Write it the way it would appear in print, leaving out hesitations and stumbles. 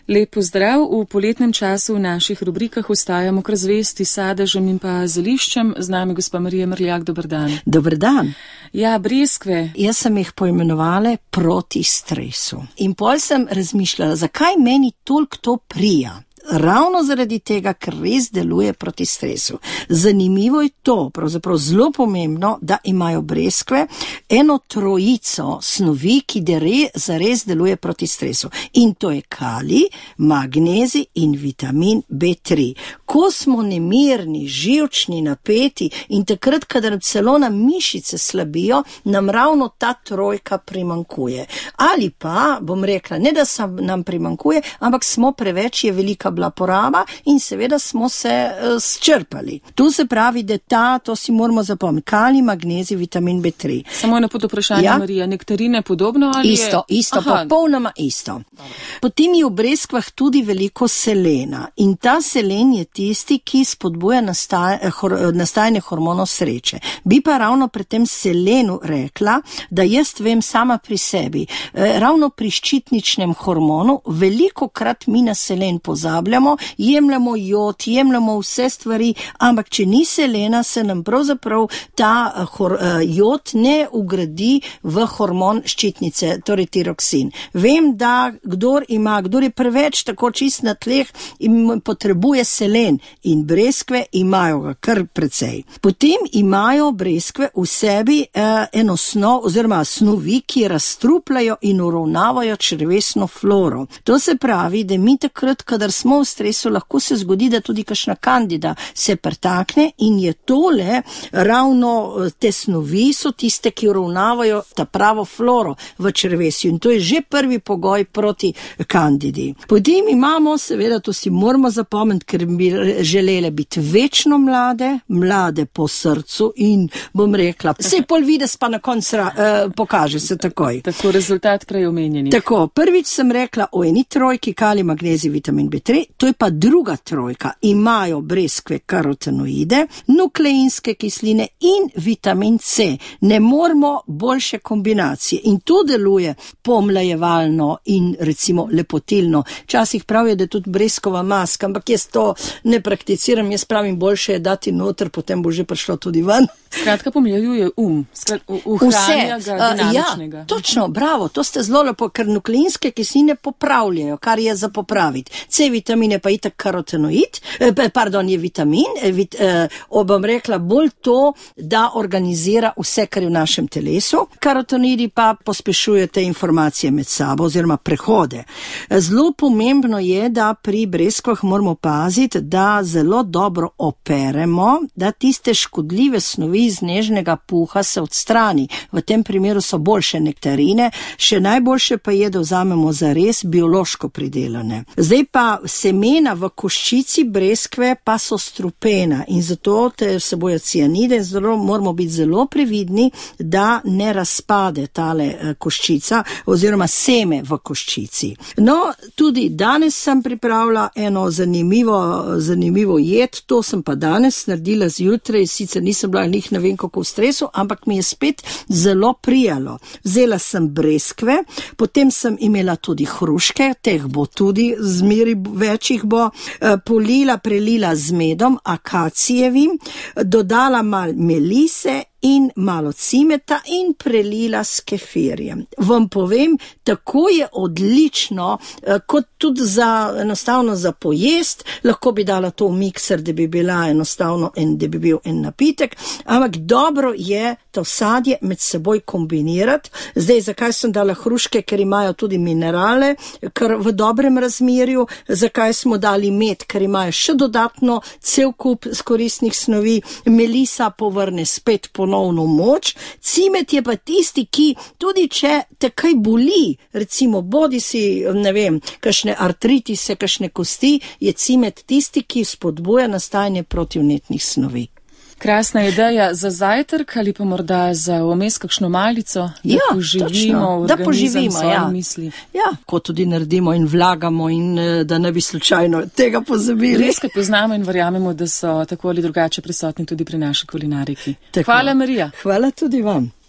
Lep pozdrav, v poletnem času v naših rubrikah ostajamo kar zvesti sadežem in pa zeliščem. Z nami gospa Marija Mrljak, dober dan. Dober dan. Ja, breskve. Jaz sem jih poimenovala proti stresu. In pol sem razmišljala, zakaj meni toliko to prija. Ravno zaradi tega, ker res deluje proti stresu. Zanimivo je to, pravzaprav zelo pomembno, da imajo breskve eno trojico snovi, ki zares deluje proti stresu. In to je kalij, magnezij in vitamin B3. Ko smo nemirni, živčni, napeti in takrat, kadar celo nam mišice slabijo, nam ravno ta trojka primanjkuje. Ali pa, bom rekla, ne da se nam primanjkuje, ampak smo preveč, je velika bila poraba in seveda smo se sčrpali. Tu se pravi, da to si moramo zapomniti. Kalij, magnezij, vitamin B3. Samo na pod vprašanje, ja? Marija, nektarine podobno ali isto, je? Isto, popolnoma isto. Potem je v breskvah tudi veliko selena in ta selen je tisti, ki spodbuja nastajanje hormonov sreče. Bi pa ravno pri tem selenu rekla, da jaz vem sama pri sebi, ravno pri ščitničnem hormonu, velikokrat mi na selen pozabljamo, jemljamo jod, jemljamo vse stvari, ampak če ni selena, se nam pravzaprav ta jod ne ugradi v hormon ščitnice, torej tiroksin. Vem, da kdor je preveč tako čist na tleh in potrebuje selen in breskve imajo ga kar precej. Potem imajo breskve v sebi eno snov oziroma snovi, ki razstrupljajo in uravnavajo črevesno floro. To se pravi, da mi takrat, kadar smo v stresu, lahko se zgodi, da tudi kakšna kandida se pretakne in je tole ravno te snovi so tiste, ki uravnavajo ta pravo floro v črevesju in to je že prvi pogoj proti kandidi. Potem imamo, seveda, to si moramo zapomniti, ker bi želele biti večno mlade po srcu in bom rekla, sej pol vides pa na koncu pokaže se takoj. Tako rezultat prej omenjeni. Tako, prvič sem rekla o eni trojki, kalij, magnezij, vitamin B3, to je pa druga trojka. Imajo breskve karotenoide, nukleinske kisline in vitamin C. Ne moramo boljše kombinacije in to deluje pomlajevalno in recimo lepotilno. Včasih pravijo, da je tudi breskova maska, ampak jaz to ne prakticiram, jaz pravim, boljše je dati noter, potem bo že prišlo tudi ven. Skratka, pomlajuje uhranja ga dinamičnega. Ja, točno, bravo, to ste zelo lepo, ker nukleinske kisline popravljajo, kar je za popraviti. C vitamine pa itak karotenoid, je vitamin, bom rekla, bolj to, da organizira vse, kar je v našem telesu. Karotenoidi pa pospešuje te informacije med sabo oziroma prehode. Zelo pomembno je, da pri breskvah moramo paziti, da zelo dobro operemo, da tiste škodljive snovi iz nežnega puha se odstrani. V tem primeru so boljše nektarine, še najboljše pa je, da vzamemo zares biološko pridelane. Zdaj pa semena v koščici breskve pa so strupena in zato vsebujejo cianide in zelo moramo biti zelo previdni, da ne razpade tale koščica oziroma seme v koščici. No, tudi danes sem pripravila eno zanimivo jed, to sem pa danes naredila zjutraj, sicer nisem bila ne vem kako v stresu, ampak mi je spet zelo prijalo. Vzela sem breskve, potem sem imela tudi hruške, teh bo tudi zmeri večjih bo, prelila z medom, akacijevim, dodala malo melise in malo cimeta in prelila s kefirjem. Vam povem, tako je odlično, kot tudi enostavno za pojest, lahko bi dala to v mikser, da bi bila enostavno da bi bil en napitek, ampak dobro je to sadje med seboj kombinirati. Zdaj, zakaj sem dala hruške, ker imajo tudi minerale, ker v dobrem razmerju, zakaj smo dali med, ker imajo še dodatno cel kup koristnih snovi, melisa povrne spet ponovno moč, cimet je pa tisti, ki tudi če te kaj boli, recimo bodi si, ne vem, kakšne artritise, kakšne kosti, je cimet tisti, ki spodbuja nastajanje protivnetnih snovi. Krasna ideja za zajtrk ali pa morda za vmes kakšno malico, da poživimo organizem svoje misli. Ja, ko tudi naredimo in vlagamo in da ne bi slučajno tega pozabili. Res, kaj poznamo in verjamemo, da so tako ali drugače prisotni tudi pri naši kulinariki. Hvala, Marija. Hvala tudi vam.